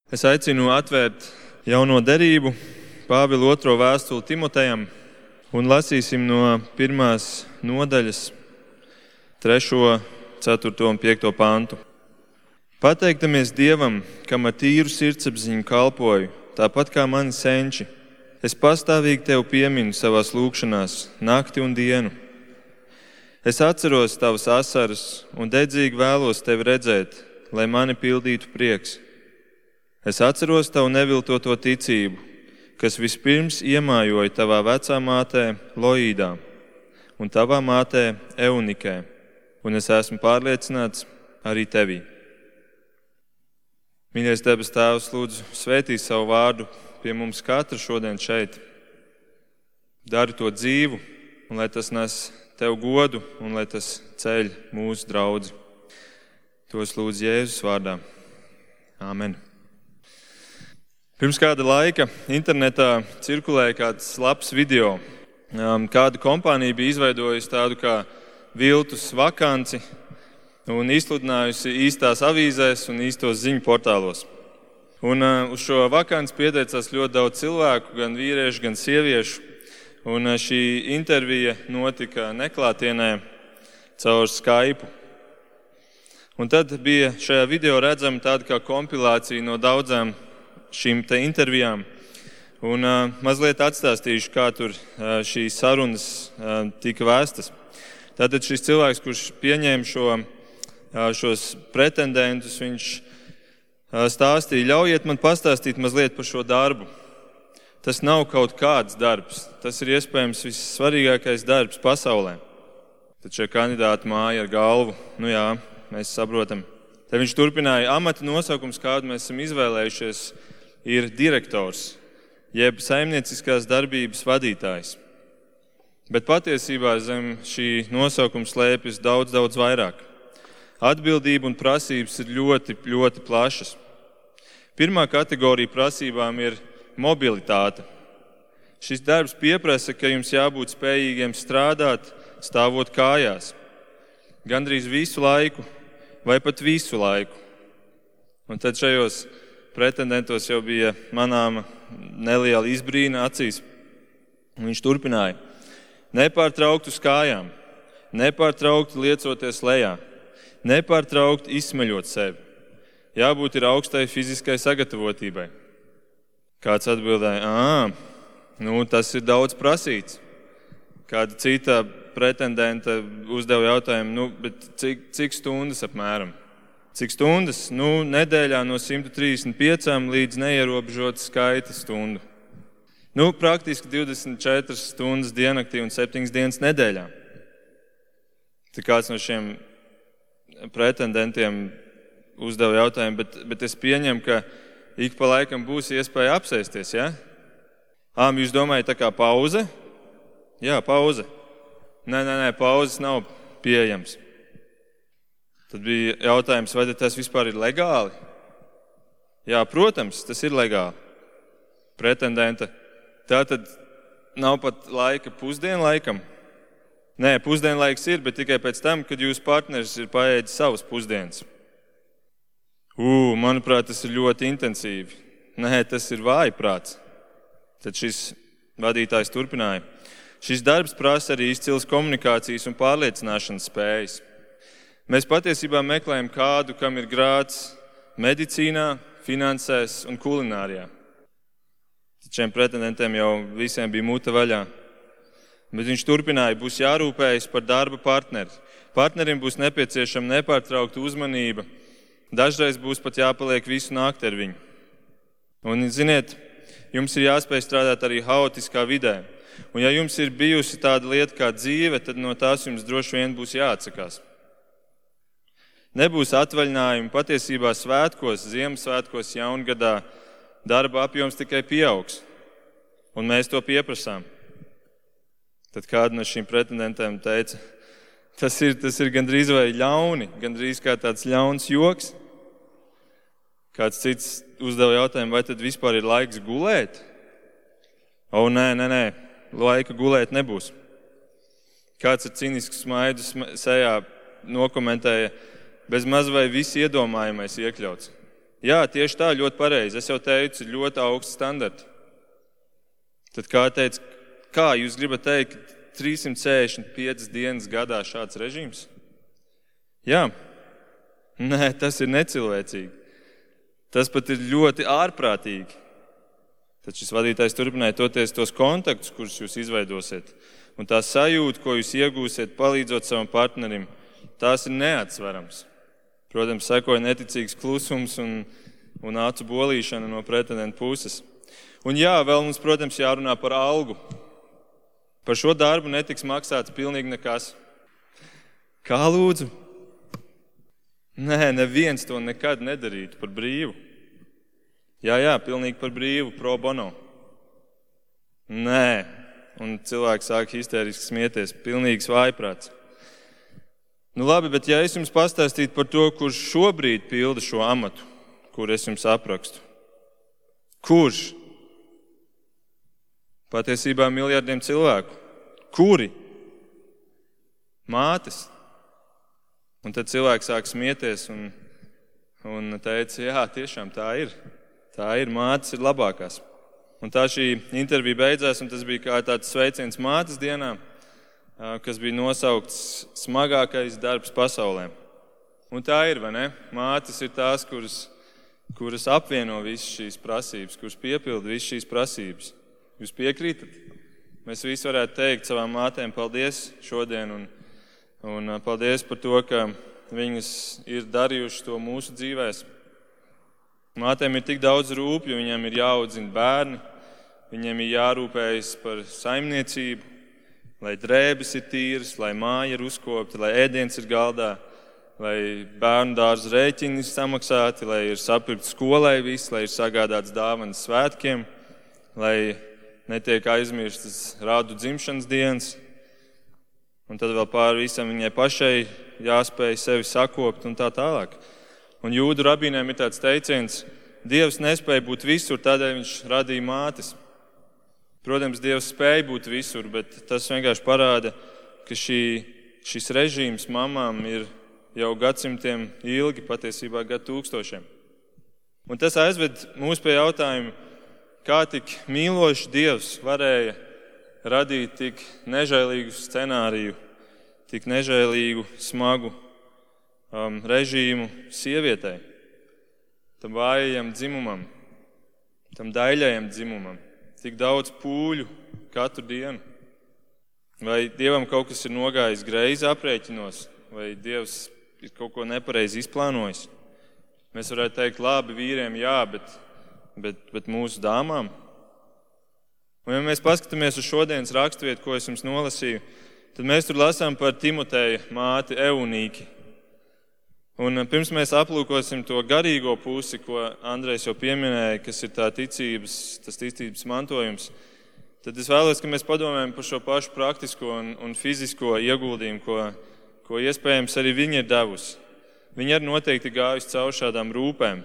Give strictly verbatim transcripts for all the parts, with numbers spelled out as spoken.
Es aicinu atvērt jauno derību, Pāvila otro vēstuli Timotejam, un lasīsim no pirmās nodaļas, trešo, ceturto un piekto pantu. Pateiktamies Dievam, kam ar tīru sirdsapziņu kalpoju, tāpat kā mani senči. Es pastāvīgi tev pieminu savās lūgšanās, nakti un dienu. Es atceros tavas asaras un dedzīgi vēlos tevi redzēt, lai mani pildītu prieks. Es atceros tavu neviltoto ticību, kas vispirms iemājoja tavā vecā mātē Loīdā un tavā mātē Eunikē, un es esmu pārliecināts arī tevī. Mīļais debes Tēvs, lūdzu, svētī savu vārdu pie mums katra šodien šeit. Dari to dzīvu, un lai tas nes tev godu, un lai tas ceļ mūsu draudzi. Tos lūdzu Jēzus vārdā. Āmen. Pirms kāda laika internetā cirkulēja kāds labs video. Kāda kompānija bija izveidojusi tādu kā viltus vakanci un izsludinājusi īstās avīzēs un īstos ziņu portālos. Un uz šo vakanci pieteicās ļoti daudz cilvēku, gan vīriešu, gan sieviešu. Un šī intervija notika neklātienē caur Skype. Un tad bija šajā video redzama tāda kā kompilācija no daudzām šīm te intervijām. Un uh, mazliet atstāstīšu, kā tur uh, šīs sarunas uh, tika vēstas. Tātad šis cilvēks, kurš pieņēma šo, uh, šos pretendentus, viņš uh, stāstīja, ļaujiet man pastāstīt mazliet par šo darbu. Tas nav kaut kāds darbs, tas ir iespējams vissvarīgākais darbs pasaulē. Tad šie kandidāti māja ar galvu, nu jā, mēs saprotam. Tad viņš turpināja, amata nosaukums, kādu mēs esam izvēlējušies, ir direktors, jeb saimnieciskās darbības vadītājs. Bet patiesībā zem šī nosaukuma slēpjas daudz, daudz vairāk. Atbildība un prasības ir ļoti, ļoti plašas. Pirmā kategorija prasībām ir mobilitāte. Šis darbs pieprasa, ka jums jābūt spējīgiem strādāt, stāvot kājās. Gandrīz visu laiku vai pat visu laiku. Un tad šajos pretendentos jau bija manāma neliela izbrīna acīs. Un viņš turpināja. Nepārtraukti uz kājām, nepārtraukti liecoties lejā, nepārtraukti izsmeļot sevi. Jābūt ir augstai fiziskai sagatavotībai. Kāds atbildēja, ā, nu tas ir daudz prasīts. Kāda cita pretendenta uzdeva jautājumu, nu, bet cik, cik stundas apmēram? Cik stundas? Nu, nedēļā no simt trīsdesmit piecām līdz neierobežota skaita stundu. Nu, praktiski divdesmit četras stundas diennaktī un septiņas dienas nedēļā. Tad kāds no šiem pretendentiem uzdeva jautājumu, bet, bet es pieņemu, ka ik pa laikam būs iespēja apsēsties, ja? Ā, jūs domājat tā kā pauze? Jā, pauze. Nē, nē, nē, pauzes nav pieejams. Tad bija jautājums, vai tas vispār ir legāli? Jā, protams, tas ir legāli. Pretendenta. Tā tad nav pat laika pusdienlaikam? Nē, pusdienlaiks ir, bet tikai pēc tam, kad jūsu partneris ir paēdis savas pusdienas. Ū, manuprāt, tas ir ļoti intensīvi. Nē, tas ir vājprāts. Tad šis vadītājs turpināja. Šis darbs prasa arī izcils komunikācijas un pārliecināšanas spējas. Mēs patiesībā meklējam kādu, kam ir grāds medicīnā, finansēs un kulinārijā. Šiem pretendentiem jau visiem bija muta vaļā. Bet viņš turpināja, būs jārūpējas par darba partneri. Partnerim būs nepieciešama nepārtraukta uzmanība. Dažreiz būs pat jāpaliek visu nakti ar viņu. Un, ziniet, jums ir jāspēj strādāt arī haotiskā vidē. Un ja jums ir bijusi tāda lieta kā dzīve, tad no tās jums droši vien būs jāatsakās. Nebūs atvaļinājumi, patiesībā svētkos, Ziemassvētkos, jaungadā darba apjoms tikai pieaugs. Un mēs to pieprasām. Tad kāda no šīm pretendentēm teica, tas ir, tas ir gandrīz vai ļauni, gandrīz kā tāds ļauns joks. Kāds cits uzdeva jautājumu, vai tad vispār ir laiks gulēt? O, nē, nē, nē, laika gulēt nebūs. Kāds ar cinisku smaidu sejā nokomentēja, bez maz vai viss iedomājamais iekļauts. Jā, tieši tā, ļoti pareizi. Es jau teicu, ir ļoti augsts standarti. Tad kā teica, kā jūs gribat teikt, ka trīssimt sešdesmit piecas dienas gadā šāds režīms? Jā. Nē, tas ir necilvēcīgi. Tas pat ir ļoti ārprātīgi. Tad šis vadītājs turpināja toties tos kontaktus, kurus jūs izveidosiet. Un tā sajūta, ko jūs iegūsiet, palīdzot savam partnerim, tās ir neatsverams. Protams, sekoja neticīgs klusums un, un acu bolīšana no pretendenta puses. Un jā, vēl mums, protams, jārunā par algu. Par šo darbu netiks maksāts pilnīgi nekas. Kā lūdzu? Nē, neviens to nekad nedarītu par brīvu. Jā, jā, pilnīgi par brīvu, pro bono. Nē, un cilvēks sāk histēriski smieties, pilnīgs vājprāts. Nu labi, bet ja es jums pastāstītu par to, kurš šobrīd pilda šo amatu, kur es jums aprakstu. Kurš? Patiesībā miljardiem cilvēku. Kuri? Mātes. Un tad cilvēks sāk smieties un, un teica, jā, tiešām tā ir. Tā ir, mātes ir labākās. Un tā šī intervija beidzās, un tas bija kā tāds sveiciens mātes dienā, kas bija nosaukts smagākais darbs pasaulē. Un tā ir, vai ne? Mātes ir tās, kuras, kuras apvieno visas šīs prasības, kuras piepilda visas šīs prasības. Jūs piekrītat? Mēs visi varētu teikt savām mātēm paldies šodien, un, un paldies par to, ka viņas ir darījušas to mūsu dzīvēs. Mātēm ir tik daudz rūpju, viņiem ir jāaudzina bērni, viņiem ir jārūpējas par saimniecību, lai drēbes ir tīras, lai māja ir uzkopta, lai ēdiens ir galdā, lai bērnu dārza rēķini ir samaksāti, lai ir sapirkt skolai viss, lai ir sagādāts dāvanas svētkiem, lai netiek aizmirstas rādu dzimšanas dienas. Un tad vēl pāri visam viņai pašai jāspēj sevi sakopt un tā tālāk. Un jūdu rabīniem ir tāds teiciens, Dievs nespēja būt visur, tādēļ viņš radīja mātes. Protams, Dievs spēja būt visur, bet tas vienkārši parāda, ka šī, šis režīms mamām ir jau gadsimtiem ilgi, patiesībā gadu tūkstošiem. Un tas aizved mūs pie jautājuma, kā tik mīlošs Dievs varēja radīt tik nežēlīgu scenāriju, tik nežēlīgu, smagu um, režīmu sievietei, tam vājajam dzimumam, tam daļajam dzimumam. Tik daudz pūļu katru dienu. Vai Dievam kaut kas ir nogājis greizi aprēķinos, vai Dievs ir kaut ko nepareizi izplānojis? Mēs varētu teikt, labi, vīriem jā, bet, bet, bet mūsu dāmām? Un ja mēs paskatāmies uz šodienas raksturvietu, ko es jums nolasīju, tad mēs tur lasām par Timoteja māti Eunīki. Un pirms mēs aplūkosim to garīgo pusi, ko Andrejs jau pieminēja, kas ir tā ticības, tas ticības mantojums, tad es vēlos, ka mēs padomājam par šo pašu praktisko un, un fizisko ieguldījumu, ko, ko iespējams arī viņa ir devusi. Viņa arī noteikti gājusi caur šādām rūpēm.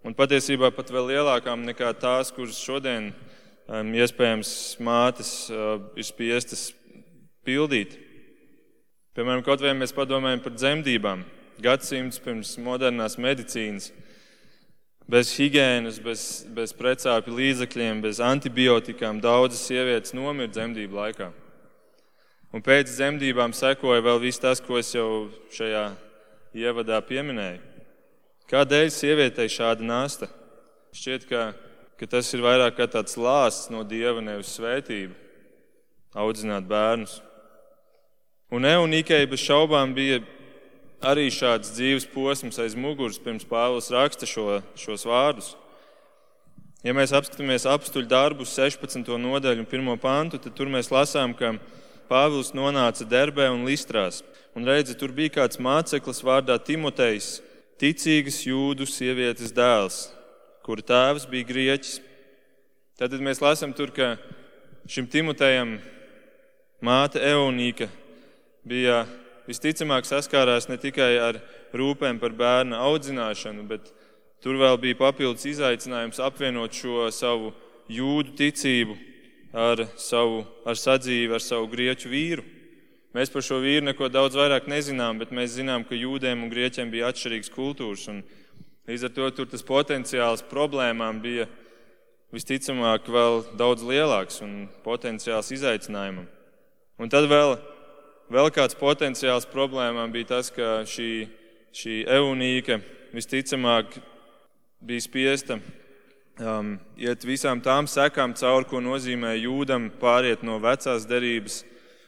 Un patiesībā pat vēl lielākām nekā tās, kuras šodien um, iespējams mātes uh, ir spiestas pildīt. Piemēram, kaut vai mēs padomājam par dzemdībām. Gadsimts pirms modernās medicīnas, bez higienas, bez, bez precāpju līdzekļiem, bez antibiotikām daudzas sievietes nomira dzemdību laikā. Un pēc dzemdībām sekoja vēl viss tas, ko es jau šajā ievadā pieminēju. Kādēļ sievietei šāda nasta? Šķiet, ka, ka tas ir vairāk kā tāds lāsts no Dieva, nevis svētība, audzināt bērnus. Un Eunīkei bez šaubām bija arī šāds dzīves posms aiz muguras, pirms Pāvils raksta šo, šos vārdus. Ja mēs apskatāmies apstuļu darbus sešpadsmito nodaļu un pirmo pantu, tad tur mēs lasām, ka Pāvils nonāca Derbē un Listrās. Un redzi, tur bija kāds māceklis vārdā Timotejs, ticīgas jūdu sievietes dēls, kura tēvs bija grieķis. Tad mēs lasām tur, ka šim Timotejam māte Eunīka bija visticamāk saskārās ne tikai ar rūpēm par bērna audzināšanu, bet tur vēl bija papildus izaicinājums apvienot šo savu jūdu ticību ar savu ar sadzīvi ar savu grieķu vīru. Mēs par šo vīru neko daudz vairāk nezinām, bet mēs zinām, ka jūdiem un grieķiem bija atšķirīgas kultūras. Un, Līdz ar to tur tas potenciāls problēmām bija visticamāk vēl daudz lielāks un potenciāls izaicinājumam. Un tad vēl, vēl kāds potenciāls problēmām bija tas, ka šī, šī Eunīke visticamāk bija spiesta um, iet visām tām sekām cauri, ko nozīmē jūdam pāriet no vecās derības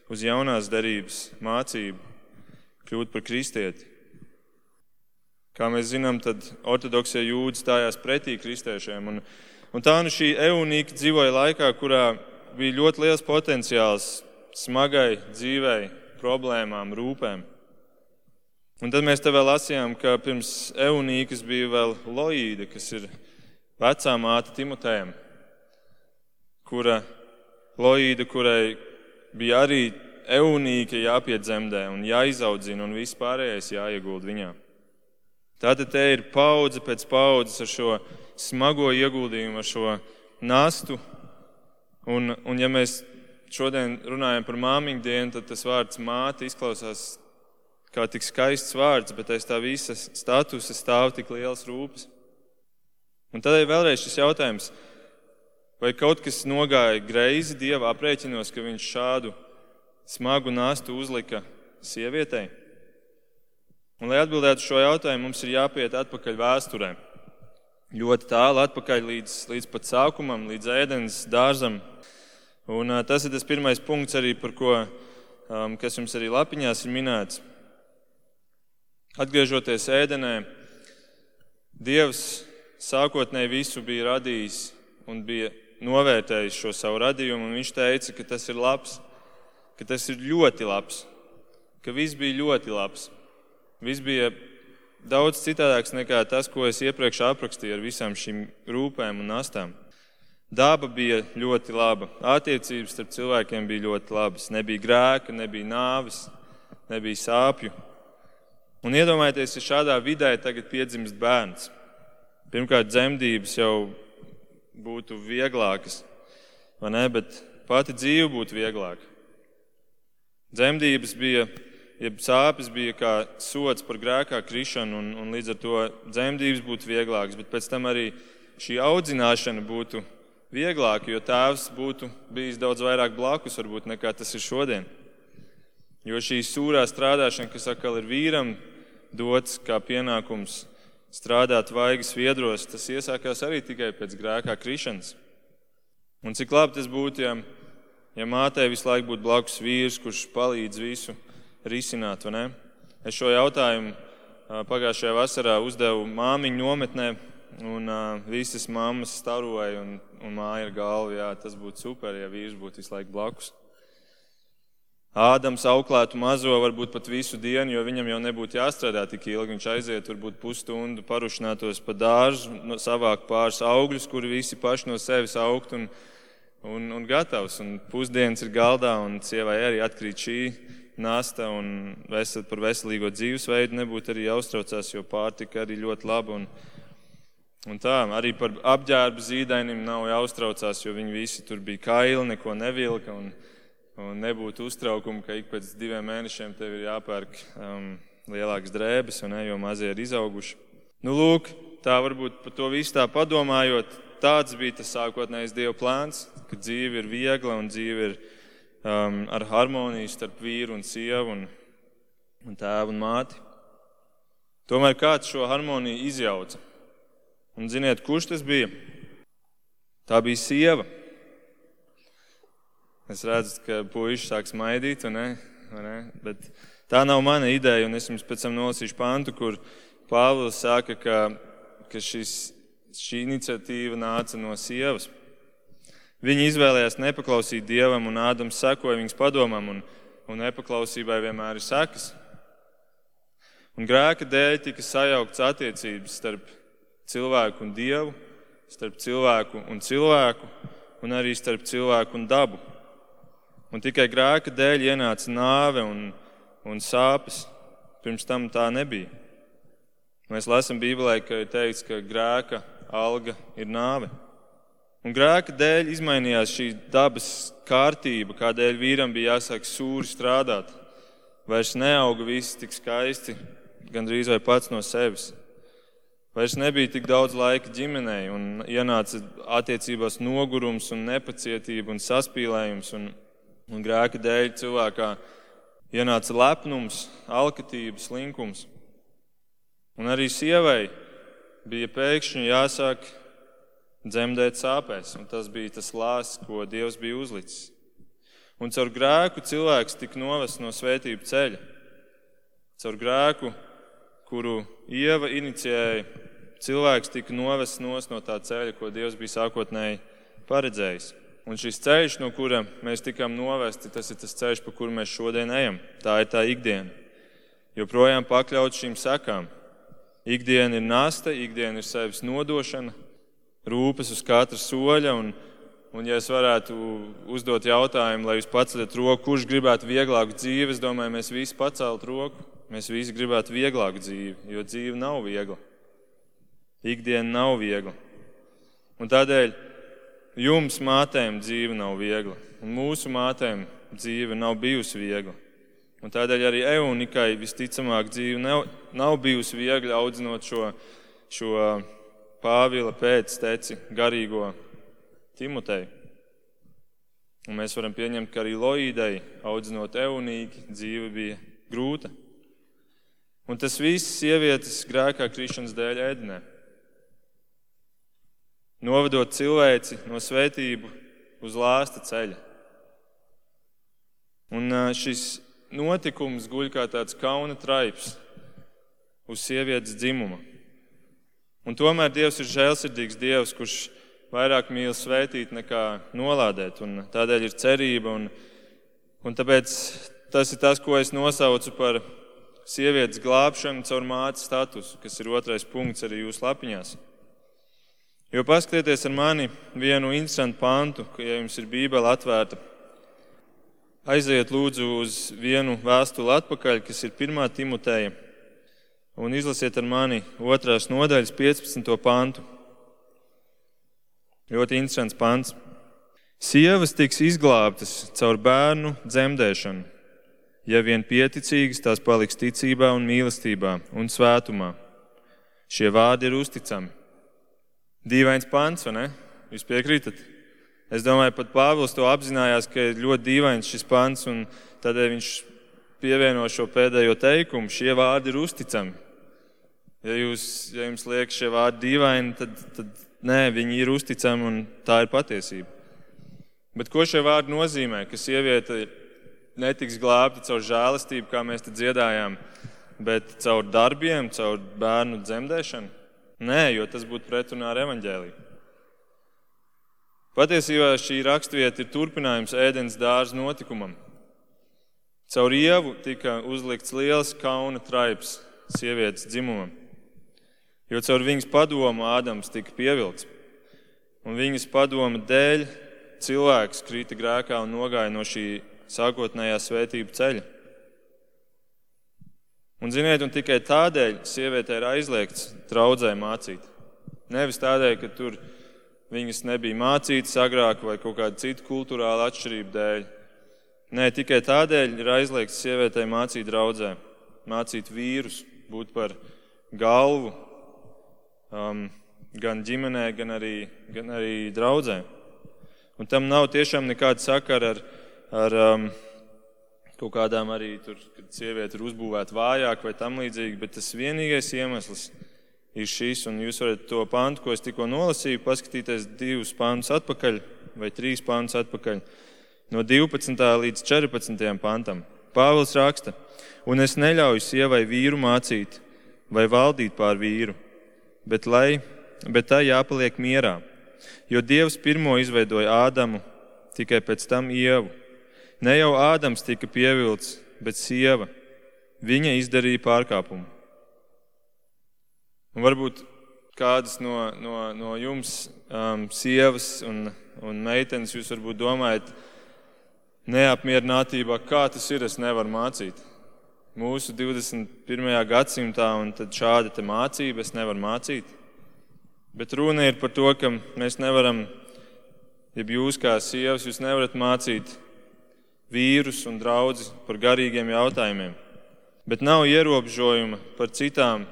uz jaunās derības mācību, kļūt par kristieti. Kā mēs zinām, tad ortodoksie jūdi stājās pretī kristiešiem. Un, un tā nu šī Eunīka dzīvoja laikā, kurā bija ļoti liels potenciāls smagai dzīvei, problēmām, rūpēm. Un tad mēs te vēl lasījām, ka pirms Eunīkas bija vēl Loīde, kas ir vecā māte Timotejam, kura Loīde, kurai bija arī Eunīka jāpiedzemdē un jāizaudzina un viss pārējais jāieguld viņā. Tātad te ir paudze pēc paudzes ar šo smago ieguldījumu, ar šo nastu. Un, un ja mēs šodien runājam par māmiņu dienu, tad tas vārds māte izklausās kā tik skaists vārds, bet aiz tā visa statusa stāv tik liels rūpes. Un tādēļ vēlreiz šis jautājums, vai kaut kas nogāja greizi Dieva aprēķinos, ka viņš šādu smagu nastu uzlika sievietei? Un, lai atbildētu šo jautājumu, mums ir jāpiet atpakaļ vēsturē. Ļoti tālu atpakaļ līdz, līdz pat sākumam, līdz ēdens dārzam. Un uh, tas ir tas pirmais punkts arī, par ko, um, kas jums arī lapiņās ir minēts. Atgriežoties ēdenē, Dievs sākotnēji visu bija radījis un bija novērtējis šo savu radījumu, un viņš teica, ka tas ir labs, ka tas ir ļoti labs, ka viss bija ļoti labs. Viss bija daudz citādāks nekā tas, ko es iepriekš aprakstīju ar visām šīm rūpēm un nastām. Daba bija ļoti laba, attiecības starp cilvēkiem bija ļoti labas, nebija grēka, nebija nāves, nebija sāpju. Un iedomājieties, ja šādā vidē tagad piedzimst bērns. Pirmkārt, dzemdības jau būtu vieglākas, vai ne, bet pati dzīve būtu vieglāka. Dzemdības bija Jeb sāpes bija kā sods par grēkā krišanu, un, un līdz ar to dzemdības būtu vieglākas, bet pēc tam arī šī audzināšana būtu vieglāka, jo tēvs būtu bijis daudz vairāk blakus, varbūt, nekā tas ir šodien. Jo šī sūrā strādāšana, kas atkal ir vīram dots kā pienākums strādāt vaigas viedros, tas iesākās arī tikai pēc grēkā krišanas. Un cik labi tas būtu, ja, ja mātei visu laiku būtu blakus vīrs, kurš palīdz visu risināt, vai ne? Es šo jautājumu pagājušajā vasarā uzdevu māmiņu nometnē, un uh, visas mammas staroja un, un māja ar galvu, jā, tas būtu super, ja vīrs būtu visu laiku blakus. Ādams auklētu mazo varbūt pat visu dienu, jo viņam jau nebūtu jāstrādā tik ilgi. Viņš aiziet varbūt pusstundu, parušinātos pa dārzu, savāk pāris augļus, kuri visi paši no sevis augt un, un, un gatavs. Un pusdienas ir galdā, un sievai arī atkrīt šī nasta, un vesel, par veselīgo dzīvesveidu nebūtu arī jāuztraucās, jo pārtika arī ļoti laba. Un, un tā, arī par apģērbu zīdainim nav jāuztraucās, jo viņi visi tur bija kaili, neko nevilka, un, un nebūtu uztraukumu, ka ik pēc diviem mēnešiem tev ir jāpērk um, lielākas drēbes, un ne, jo mazie ir izauguši. Nu, lūk, tā varbūt par to visu tā padomājot, tāds bija tas sākotnējais Dieva plāns, ka dzīve ir viegla un dzīve ir Um, ar harmoniju starp vīru un sievu un, un tēvu un māti. Tomēr kāds šo harmoniju izjauca. Un ziniet, kurš tas bija? Tā bija sieva. Es redzu, ka puiši sāk smaidīt, vai ne? Vai ne? Bet tā nav mana ideja, un es jums pēc tam nolasīšu pantu, kur Pāvils saka, ka, ka šis, šī iniciatīva nāca no sievas. Viņi izvēlējās nepaklausīt Dievam, un Ādams sekoja viņas padomam, un, un nepaklausībai vienmēr ir sekas. Un grēka dēļ tika sajauktas attiecības starp cilvēku un Dievu, starp cilvēku un cilvēku, un arī starp cilvēku un dabu. Un tikai grēka dēļ ienāca nāve un, un sāpes. Pirms tam tā nebija. Mēs lasām Bībelē, ka ir teikts, ka grēka alga ir nāve. Un grēka dēļ izmainījās šī dabas kārtība, kādēļ vīram bija jāsāk sūri strādāt. Vairs neauga viss tik skaisti, gandrīz vai pats no sevis. Vairs nebija tik daudz laika ģimenei un ienāca attiecībās nogurums un nepacietība un saspīlējums un, un grēka dēļ cilvēkā ienāca lepnums, alkatība, slinkums. Un arī sievai bija pēkšņi jāsāk dzemdēt sāpēs, un tas bija tas lāsts, ko Dievs bija uzlicis. Un caur grēku cilvēks tika novests no svētību ceļa. Caur grēku, kuru Ieva inicijēja, cilvēks tika novests nos no tā ceļa, ko Dievs bija sākotnēji paredzējis. Un šis ceļš, no kura mēs tikām novesti, tas ir tas ceļš, pa kuru mēs šodien ejam. Tā ir tā ikdiena. Joprojām pakļaut šīm sekām. Ikdiena ir nasta, ikdiena ir sevis nodošana, rūpes uz katra soļa. Un, un ja es varētu uzdot jautājumu, lai jūs paceļat roku, kurš gribētu vieglāku dzīvi, es domāju, mēs visi pacelt roku. Mēs visi gribētu vieglāku dzīvi, jo dzīve nav viegla. Ikdiena nav viegla. Un tādēļ jums, mātēm, dzīve nav viegla. Un mūsu mātēm dzīve nav bijusi viegla. Un tādēļ arī Eunikai visticamāk dzīve nav, nav bijusi viegla audzinot šo, šo Pāvila pēcteci garīgo Timoteju. Un mēs varam pieņemt, ka arī Loīdai audzinot Eunīki dzīve bija grūta. Un tas viss sievietes grēkā krišanas dēļ ēdinē. Novedot cilvēci no svētību uz lāsta ceļa. Un šis notikums guļ kā tāds kauna traips uz sievietes dzimuma. Un tomēr Dievs ir žēlsirdīgs Dievs, kurš vairāk mīl svētīt nekā nolādēt. Un tādēļ ir cerība. Un, un tāpēc tas ir tas, ko es nosaucu par sievietes glābšanu caur mātes statusu, kas ir otrais punkts arī jūsu lapiņās. Jo paskatieties ar mani vienu interesantu pantu, ka, ja jums ir Bībele atvērta, aiziet lūdzu uz vienu vēstuli atpakaļ, kas ir pirmā Timoteja, un izlasiet ar mani otrās nodaļas piecpadsmito pantu. Ļoti interesants pants. Sievas tiks izglābtas caur bērnu dzemdēšanu. Ja vien pieticīgas, tās paliks ticībā un mīlestībā un svētumā. Šie vārdi ir uzticami. Dīvains pants, vai ne? Jūs piekrītat? Es domāju, pat Pāvils to apzinājās, ka ir ļoti dīvains šis pants, un tādēļ viņš pievieno šo pēdējo teikumu. Šie vārdi ir uzticami. Ja, jūs, ja jums liekas šie vārdi dīvaini, tad, tad nē, viņi ir uzticami un tā ir patiesība. Bet ko šie vārdi nozīmē? Ka sieviete netiks glābta caur žēlastību, kā mēs te dziedājām, bet caur darbiem, caur bērnu dzemdēšanu? Nē, jo tas būtu pretrunā ar evaņģēliju. Patiesībā šī rakstvieta ir turpinājums Ēdens dārza notikumam. Caur Ievu tika uzlikts liels kauna traips sievietes dzimumam, jo caur viņas padomu Ādams tika pievilkts. Un viņas padoma dēļ cilvēks krita grēkā un nogāja no šī sākotnējā svētību ceļa. Un ziniet, un tikai tādēļ sievietē ir aizliegts draudzē mācīt. Nevis tādēļ, ka tur viņas nebija mācītas agrāk vai kaut kāda cita kultūrāla atšķirība dēļ. Nē, tikai tādēļ ir aizliegts sievietei mācīt draudzē, mācīt vīrus, būt par galvu um, gan ģimenē, gan arī, gan arī draudzē. Un tam nav tiešām nekāda sakara ar, ar um, kaut kādām arī tur, kad sieviete ir uzbūvēta vājāk vai tam līdzīgi, bet tas vienīgais iemesls ir šis, un jūs varat to pantu, ko es tikko nolasīju, paskatīties divus pantus atpakaļ vai trīs pantus atpakaļ, no divpadsmitā līdz četrpadsmitajam pantam. Pāvils raksta, un es neļauju sievai vīru mācīt vai valdīt pār vīru, bet, lai, bet tā jāpaliek mierā, jo Dievs pirmo izveidoja Ādamu, tikai pēc tam Ievu. Ne jau Ādams tika pievilts, bet sieva. Viņa izdarīja pārkāpumu. Un varbūt kādas no, no, no jums um, sievas un, un meitenes jūs varbūt domājat neapmierinātībā, kā tas ir, es nevaru mācīt. Mūsu divdesmit pirmajā gadsimtā un tad šāda te mācība es nevaru mācīt. Bet runa ir par to, ka mēs nevaram, ja jūs kā sievas, jūs nevarat mācīt vīrus un draudzi par garīgiem jautājumiem. Bet nav ierobežojuma par citām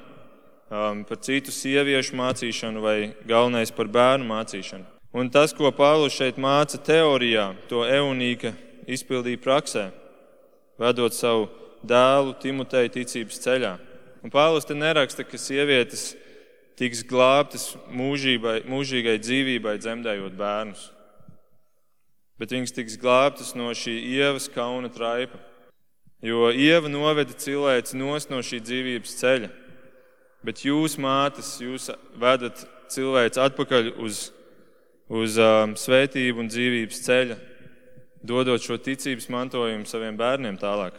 um, par citu sieviešu mācīšanu vai galvenais par bērnu mācīšanu. Un tas, ko Pāvils šeit māca teorijā, to Eunīka izpildīja praksē, vedot savu dēlu Timoteju ticības ceļā. Un Pāvils te neraksta, ka sievietes tiks glābtas mūžībai, mūžīgai dzīvībai, dzemdējot bērnus. Bet viņas tiks glābtas no šī Ievas kauna traipa. Jo Ieva noveda cilvēci nost no šī dzīvības ceļa. Bet jūs, mātes, jūs vedat cilvēci atpakaļ uz, uz um, svētību un dzīvības ceļa, dodot šo ticības mantojumu saviem bērniem tālāk.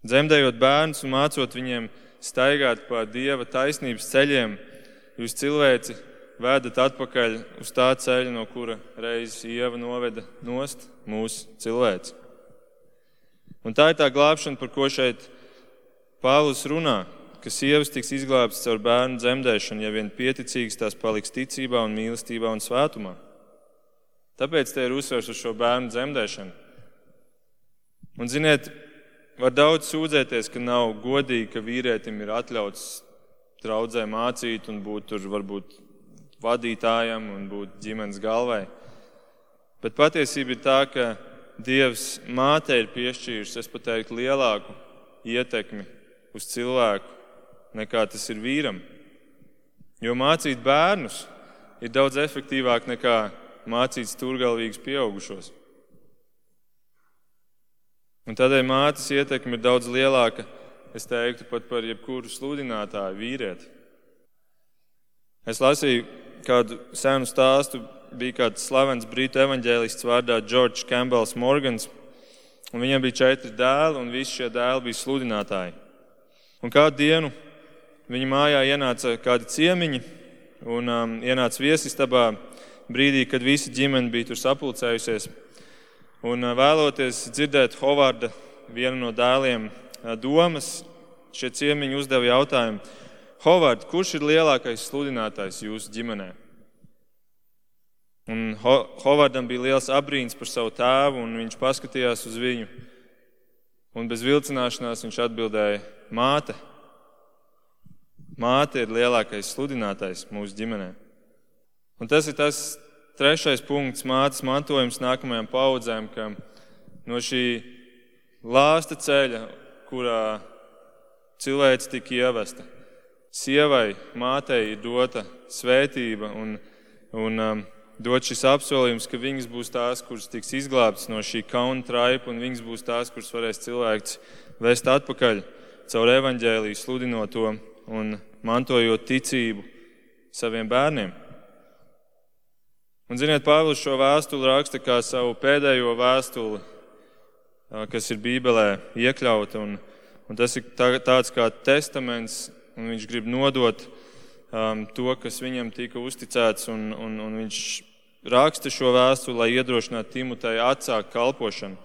Dzemdējot bērnus un mācot viņiem staigāt pa Dieva taisnības ceļiem, jūs cilvēci vedat atpakaļ uz tā ceļa, no kura reizes Ieva noveda nost mūsu cilvēci. Un tā ir tā glābšana, par ko šeit Pāvils runā, ka sievas tiks izglābtas caur bērnu dzemdēšanu, ja vien pieticīgas tās paliks ticībā un mīlestībā un svētumā. Tāpēc te ir uzsvers uz šo bērnu dzemdēšanu. Un ziniet, var daudz sūdzēties, ka nav godīgi, ka vīrietim ir atļauts draudzē mācīt un būt tur varbūt vadītājam un būt ģimenes galvai. Bet patiesība ir tā, ka Dievs mātei ir piešķīris, es pat teiktu, lielāku ietekmi uz cilvēku, nekā tas ir vīram. Jo mācīt bērnus ir daudz efektīvāk nekā mācīt stūrgalvīgus pieaugušos. Un tādēļ mātes ietekme ir daudz lielāka, es teiktu, pat par jebkuru sludinātāju vīrieti. Es lasīju kādu senu stāstu, bija kāds slavens brītu evaņģēlists vārdā George Campbells Morgans, un viņam bija četri dēli, un visi šie dēli bija sludinātāji. Un kādu dienu viņa mājā ienāca kādi ciemiņi, un um, ienāca viesistabā brīdī, kad visa ģimene bija tur sapulcējusies. Un uh, vēloties dzirdēt Hovarda, vienu no dēliem, uh, domas, šie ciemiņi uzdeva jautājumu: Hovard, kurš ir lielākais sludinātājs jūsu ģimenē? Un Ho- Hovardam bija liels abrīns par savu tēvu, un viņš paskatījās uz viņu. Un bez vilcināšanās viņš atbildēja: māte. Māte ir lielākais sludinātājs mūsu ģimenē. Un tas ir tas trešais punkts, mātes mantojums nākamajām paudzēm, ka no šī lāsta ceļa, kurā cilvēks tika ievesta, sievai, mātei ir dota svētība un, un um, dot šis apsolījums, ka viņas būs tās, kuras tiks izglābtas no šī kauna traipa, un viņas būs tās, kuras varēs cilvēks vest atpakaļ caur evaņģēliju, sludinot to un mantojot ticību saviem bērniem. Un, ziniet, Pāvils šo vēstuli raksta kā savu pēdējo vēstuli, kas ir Bībelē iekļauta, un, un tas ir tā, tāds kā testaments, un viņš grib nodot um, to, kas viņam tika uzticēts, un, un, un viņš raksta šo vēstuli, lai iedrošinātu Timoteju atsākt kalpošanu.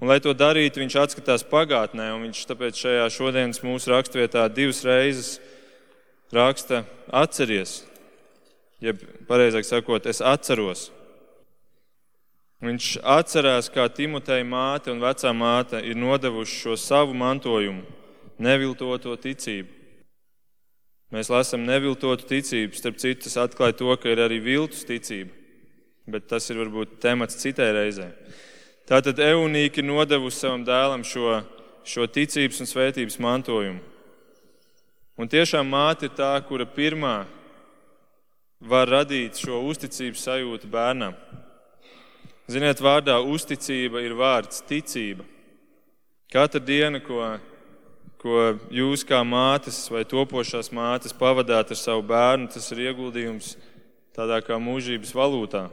Un, lai to darītu, viņš atskatās pagātnē, un viņš tāpēc šajā šodienas mūsu rakstvietā divas reizes raksta atceries, jeb pareizāk sakot, es atceros. Viņš atcerās, kā Timoteja māte un vecā māte ir nodevuši šo savu mantojumu, neviltoto ticību. Mēs lasām neviltotu ticību, starp citu, tas atklāja to, ka ir arī viltus ticība, bet tas ir varbūt temats citai reizē. Tātad Eunīka ir nodevusi savam dēlam šo, šo ticības un svētības mantojumu. Un tiešām māte ir tā, kura pirmā var radīt šo uzticības sajūtu bērnam. Ziniet, vārdā uzticība ir vārds ticība. Katra diena, ko, ko jūs kā mātes vai topošās mātes pavadāt ar savu bērnu, tas ir ieguldījums tādā kā mūžības valūtā.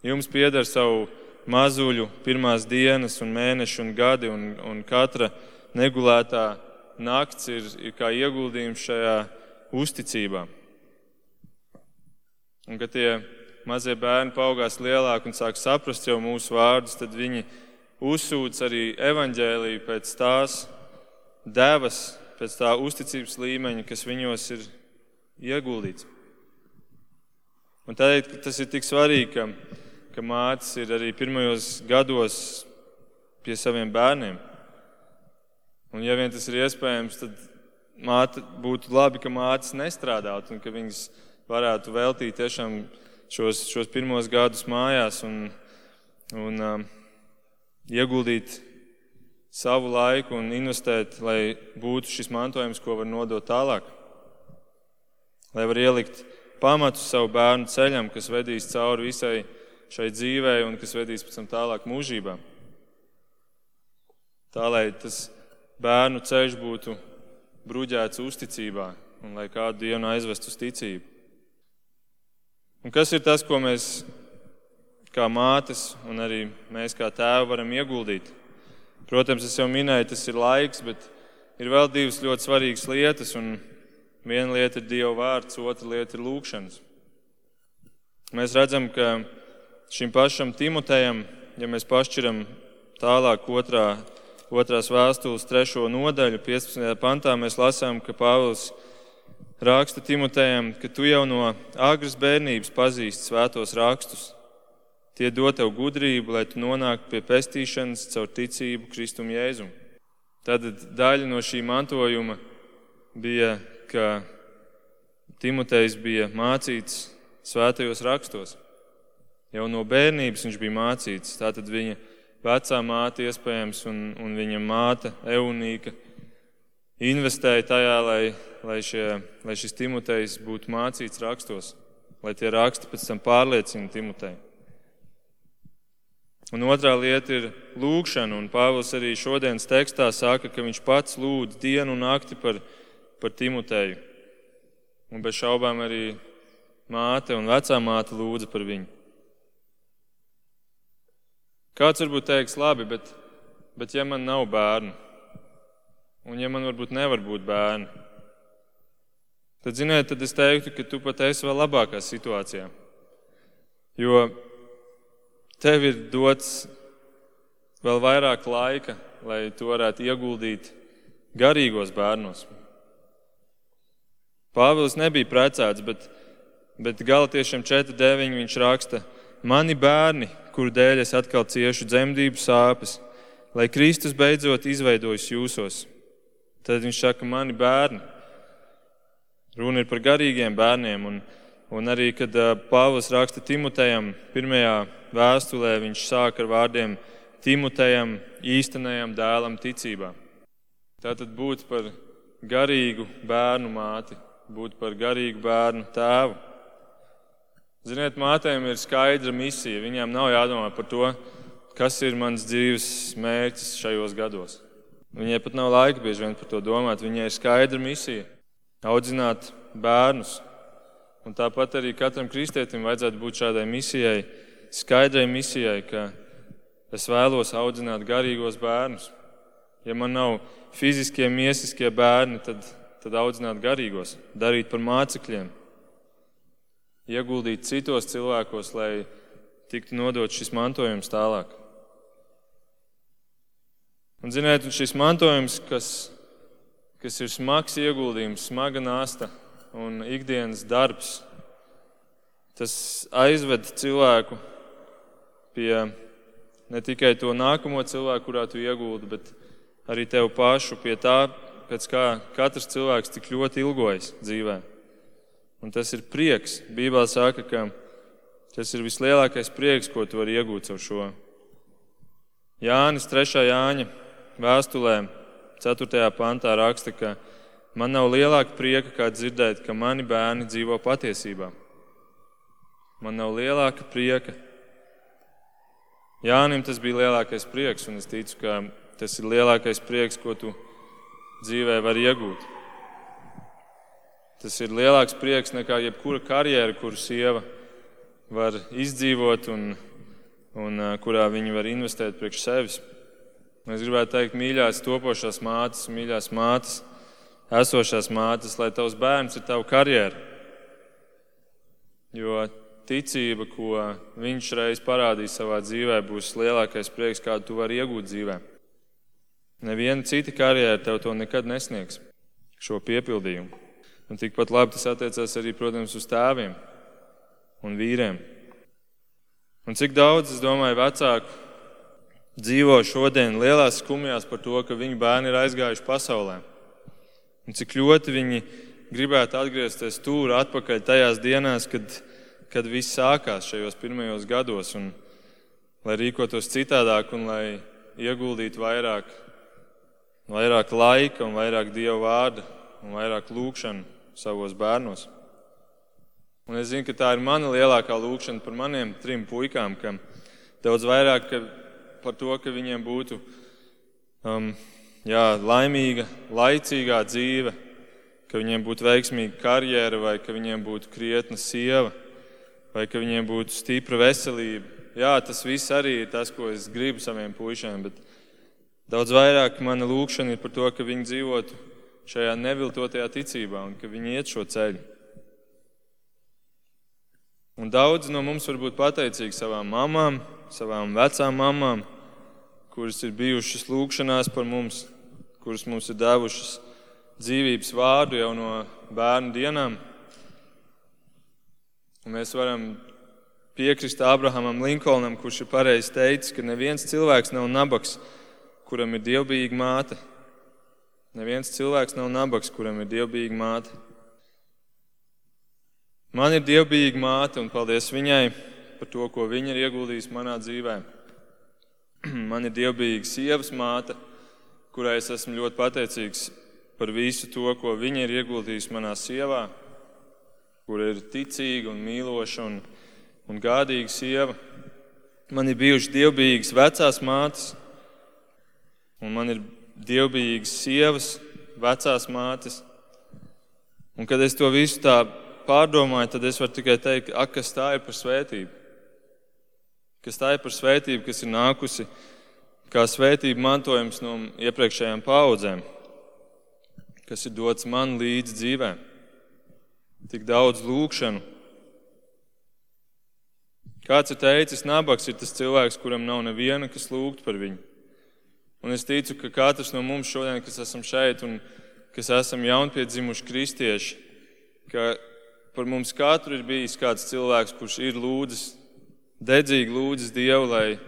Jums pieder savu mazuļu pirmās dienas un mēneši un gadi, un, un katra negulētā nakts ir, ir kā ieguldījums šajā uzticībā. Un, kad tie mazie bērni paaugās lielāki un sāk saprast jau mūsu vārdus, tad viņi uzsūc arī evaņģēliju pēc tās devas, pēc tā uzticības līmeņa, kas viņos ir ieguldīts. Un tādēļ tas ir tik svarīgi, ka, ka mātes ir arī pirmajos gados pie saviem bērniem. Un ja vien tas ir iespējams, tad māte, būtu labi, ka mātes nestrādātu un ka viņas varētu veltīt tiešām šos, šos pirmos gadus mājās un, un um, ieguldīt savu laiku un investēt, lai būtu šis mantojums, ko var nodot tālāk. Lai var ielikt pamatus savu bērnu ceļam, kas vedīs cauri visai šai dzīvei un kas vedīs pēc tam tālāk mūžībā. Tā, lai tas bērnu ceļš būtu bruģēts uzticībā un lai kādu dienu aizvest uz ticību. Un kas ir tas, ko mēs kā mātes un arī mēs kā tēvi varam ieguldīt? Protams, es jau minēju, tas ir laiks, bet ir vēl divas ļoti svarīgas lietas, un viena lieta ir Dieva vārds, otra lieta ir lūkšanas. Mēs redzam, ka šim pašam Timotejam, ja mēs pašķiram tālāk otrā, otrās vēstules trešo nodaļu, piecpadsmitajā pantā, mēs lasām, ka Pāvils raksta Timotejam, ka tu jau no agras bērnības pazīsti svētos rakstus. Tie dod tev gudrību, lai tu nonāktu pie pestīšanas caur ticību Kristum Jēzum. Tad daļa no šī mantojuma bija, ka Timotejs bija mācīts svētajos rakstos. Jau no bērnības viņš bija mācīts. Tātad viņa vecā māte iespējams un, un viņa māte Eunīka investēja tajā, lai, lai, šie, lai šis Timotejs būtu mācīts rakstos, lai tie raksti pēc tam pārliecina Timoteju. Un otrā lieta ir lūkšana, un Pāvils arī šodienas tekstā saka, ka viņš pats lūdz dienu un nakti par, par Timoteju. Un bez šaubām arī māte un vecā māte lūdza par viņu. Kāds varbūt teiks, labi, bet, bet ja man nav bērnu, un ja man varbūt nevar būt bērni, tad, ziniet, tad es teiktu, ka tu pat esi vēl labākā situācijā. Jo tev ir dots vēl vairāk laika, lai tu varētu ieguldīt garīgos bērnos. Pāvils nebija precēts, bet, bet Galatiešiem četri deviņi viņš raksta: mani bērni, kuru dēļ es atkal ciešu dzemdību sāpes, lai Kristus beidzot izveidojas jūsos. Tad viņš saka, mani bērni. Runa ir par garīgiem bērniem, un, un arī, kad Pāvils raksta Timotejam pirmajā vēstulē, viņš sāk ar vārdiem Timotejam, īstenajam dēlam ticībā. Tātad būt par garīgu bērnu māti, būt par garīgu bērnu tēvu. Ziniet, mātēm ir skaidra misija. Viņām nav jādomā par to, kas ir mans dzīves mērķis šajos gados. Viņai pat nav laika bieži vien par to domāt. Viņai ir skaidra misija audzināt bērnus. Un tāpat arī katram kristietim vajadzētu būt šādai misijai, skaidrai misijai, ka es vēlos audzināt garīgos bērnus. Ja man nav fiziskie, miesiskie bērni, tad, tad audzināt garīgos, darīt par mācekļiem. Ieguldīt citos cilvēkos, lai tiktu nodot šis mantojums tālāk. Un ziniet, šis mantojums, kas, kas ir smags ieguldījums, smaga nasta un ikdienas darbs, tas aizved cilvēku pie ne tikai to nākamo cilvēku, kurā tu ieguldi, bet arī tev pašu pie tā, pēc kā katrs cilvēks tik ļoti ilgojas dzīvē. Un tas ir prieks. Bībelē saka, ka tas ir vislielākais prieks, ko tu vari iegūt caur šo. Jānis trešā Jāņa vēstulē, ceturtajā pantā raksta, ka man nav lielāka prieka, kā dzirdēt, ka mani bērni dzīvo patiesībā. Man nav lielāka prieka. Jānim tas bija lielākais prieks, un es ticu, ka tas ir lielākais prieks, ko tu dzīvē vari iegūt. Tas ir lielāks prieks nekā jebkura karjera, kuru sieva var izdzīvot un, un kurā viņi var investēt priekš sevis. Es gribētu teikt, mīļās topošās mātes, mīļās mātes, esošās mātes, lai tavs bērns ir tava karjera. Jo ticība, ko viņš reiz parādīs savā dzīvē, būs lielākais prieks, kādu tu vari iegūt dzīvē. Neviena cita karjera tev to nekad nesniegs, šo piepildījumu. Un tikpat labi tas attiecās arī, protams, uz tēviem un vīriem. Un cik daudz, es domāju, vecāku dzīvo šodien lielās skumjās par to, ka viņu bērni ir aizgājuši pasaulē. Un cik ļoti viņi gribētu atgriezties tur atpakaļ tajās dienās, kad, kad viss sākās šajos pirmajos gados, un lai rīkotos citādāk un lai ieguldītu vairāk, vairāk laika un vairāk Dieva vārda un vairāk lūgšanu savos bērnos. Un es zinu, ka tā ir mana lielākā lūgšana par maniem trim puikām, ka daudz vairāk ka par to, ka viņiem būtu um, jā, laimīga, laicīgā dzīve, ka viņiem būtu veiksmīga karjera, vai ka viņiem būtu krietna sieva, vai ka viņiem būtu stipra veselība. Jā, tas viss arī ir tas, ko es gribu saviem puišiem, bet daudz vairāk mana lūgšana ir par to, ka viņi dzīvotu šajā neviltotajā ticībā un ka viņi iet šo ceļu. Un daudzi no mums var būt pateicīgi savām mamām, savām vecām mamām, kuras ir bijušas lūgšanās par mums, kuras mums ir devušas dzīvības vārdu jau no bērnu dienām. Un mēs varam piekrist Abrahamam Linkolnam, kurš ir pareizi teicis, ka neviens cilvēks nav nabaks, kuram ir dievbijīga māte. Neviens cilvēks nav nabaks, kuram ir dievbijīga māte. Man ir dievbijīga māte, un paldies viņai par to, ko viņa ir ieguldījusi manā dzīvē. Man ir dievbijīga sievas māte, kurai es esmu ļoti pateicīgs par visu to, ko viņa ir ieguldījusi manā sievā, kur ir ticīga un mīloša un, un gādīga sieva. Man ir bijušas dievbijīgas vecās mātes, un man ir dievbijīgas sievas, vecās mātes. Un kad es to visu tā pārdomāju, tad es varu tikai teikt, ak, kas tā ir par svētību. Kas tā ir par svētību, kas ir nākusi kā svētība mantojums no iepriekšējām paaudzēm, kas ir dots man līdz dzīvē. Tik daudz lūgšanu. Kāds ir teicis, nabaks ir tas cilvēks, kuram nav neviena, kas lūgtu par viņu. Un es ticu, ka katrs no mums šodien, kas esam šeit un kas esam jaunpiedzimuši kristieši, ka par mums katru ir bijis kāds cilvēks, kurš ir lūdzis, dedzīgi lūdzis Dievu, lai,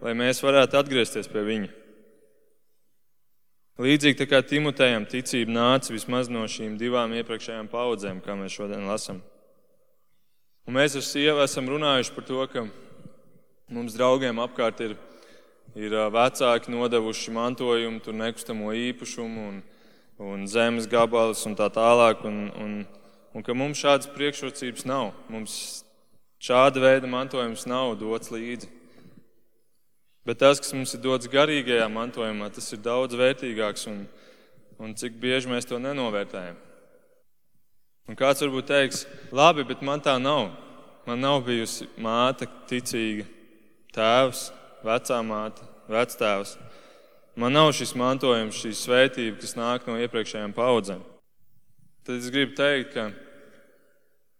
lai mēs varētu atgriezties pie viņa. Līdzīgi tā kā Timotejam ticība nāca vismaz no šīm divām iepriekšējām paudzēm, kā mēs šodien lasam. Un mēs ar sievu esam runājuši par to, ka mums draugiem apkārt ir, ir vecāki nodevuši mantojumu, tur nekustamo īpašumu un, un zemes gabalus un tā tālāk, un, un Un ka mums šādas priekšrocības nav. Mums šāda veida mantojums nav dots līdzi. Bet tas, kas mums ir dots garīgajā mantojumā, tas ir daudz vērtīgāks un, un cik bieži mēs to nenovērtējam. Un kāds varbūt teiks, labi, bet man tā nav. Man nav bijusi māte ticīga, tēvs, vecā māte, vectēvs. Man nav šis mantojums, šī svētība, kas nāk no iepriekšējām paudzēm. Tad es gribu teikt, ka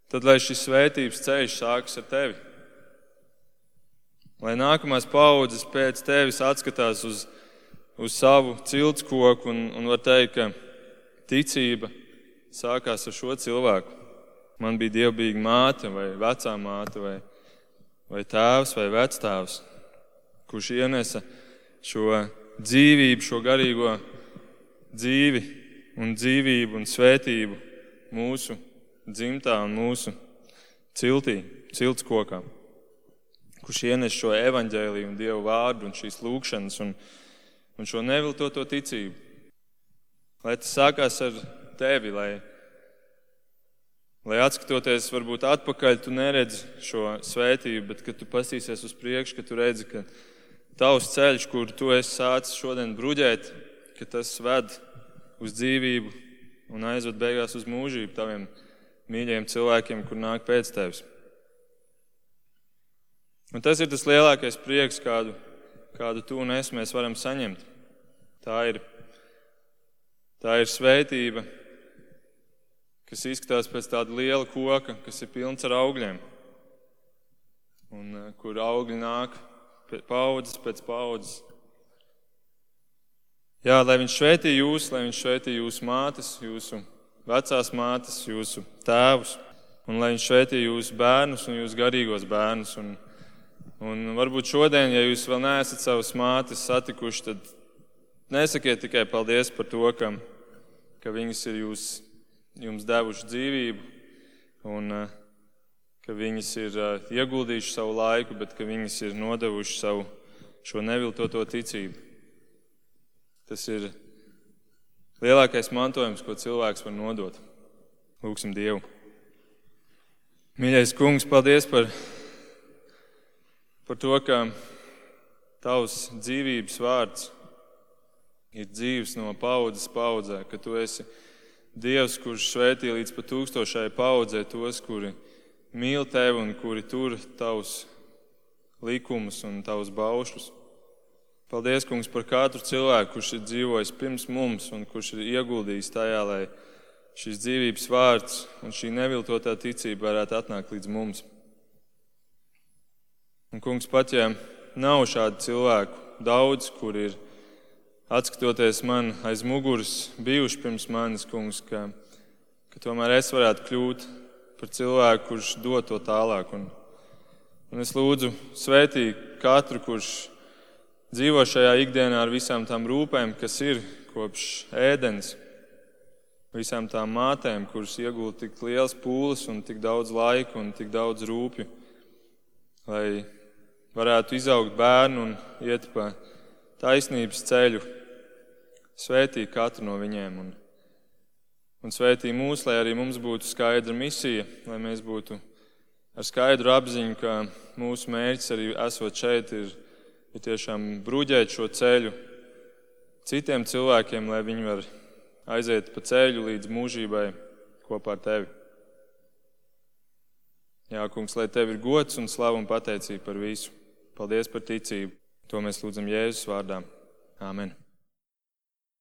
tad, lai šis svētības ceļš sākas ar tevi, lai nākamās paudzes pēc tevis atskatās uz, uz savu ciltskoku un, un var teikt, ka ticība sākās ar šo cilvēku. Man bija dievbijīga māte vai vecā māte vai, vai tēvs vai vectēvs, kurš ienesa šo dzīvību, šo garīgo dzīvi un dzīvību un svētību mūsu dzimtā un mūsu ciltī, ciltskokā, kurš ienes šo evaņģēliju un Dievu vārdu un šīs lūgšanas un, un šo neviltoto ticību. Lai tas sākās ar tevi, lai, lai atskatoties varbūt atpakaļ, tu neredzi šo svētību, bet kad tu pastīsies uz priekšu, ka tu redzi, ka tavs ceļš, kur tu esi sācis šodien bruģēt, ka tas ved uz dzīvību un aizved beigās uz mūžību taviem mīļajiem cilvēkiem, kur nāk pēc tevis. Un tas ir tas lielākais prieks, kādu, kādu tu un es mēs varam saņemt. Tā ir, tā ir svētība, kas izskatās pēc tāda liela koka, kas ir pilns ar augļiem. Un kur augļi nāk paudzes pēc paudzes. Jā, lai viņš svētī jūs, lai viņš svētī jūsu mātes, jūsu vecās mātes, jūsu tēvus, un lai viņš svētī jūsu bērnus un jūsu garīgos bērnus. Un, un varbūt šodien, ja jūs vēl neesat savas mātes satikuši, tad nesakiet tikai paldies par to, ka ka viņas ir jūs, jums devuši dzīvību un ka viņas ir ieguldījuši savu laiku, bet ka viņas ir nodevuši savu šo neviltoto ticību. Tas ir lielākais mantojums, ko cilvēks var nodot. Lūksim Dievu. Mīļais Kungs, paldies par, par to, ka Tavs dzīvības vārds ir dzīvs no paudzes paudzē, ka Tu esi Dievs, kurš svētī līdz pat tūkstošai paudzē tos, kuri mīl Tevi un kuri tur Tavus likumus un Tavus baušļus. Paldies, Kungs, par katru cilvēku, kurš ir dzīvojis pirms mums un kurš ir ieguldījis tajā, lai šis dzīvības vārds un šī neviltotā ticība varētu atnākt līdz mums. Un, Kungs, pat ja nav šādu cilvēku daudz, kur ir, atskatoties man aiz muguras, bijuši pirms manis, Kungs, ka, ka tomēr es varētu kļūt par cilvēku, kurš dod to tālāk. Un, un es lūdzu svētī katru, kurš dzīvo šajā ikdienā ar visām tām rūpēm, kas ir kopš ēdens, visām tām mātēm, kuras iegūta tik liels pūles un tik daudz laika un tik daudz rūpju, lai varētu izaugt bērnu un iet pa taisnības ceļu. Svētī katru no viņiem un, un svētī mūs, lai arī mums būtu skaidra misija, lai mēs būtu ar skaidru apziņu, ka mūsu mērķis arī esot šeit ir, ir tiešām bruģēt šo ceļu citiem cilvēkiem, lai viņi var aiziet pa ceļu līdz mūžībai kopā ar Tevi. Jā, Kungs, lai Tev ir gods un slava un pateicība par visu. Paldies par ticību. To mēs lūdzam Jēzus vārdā. Āmen.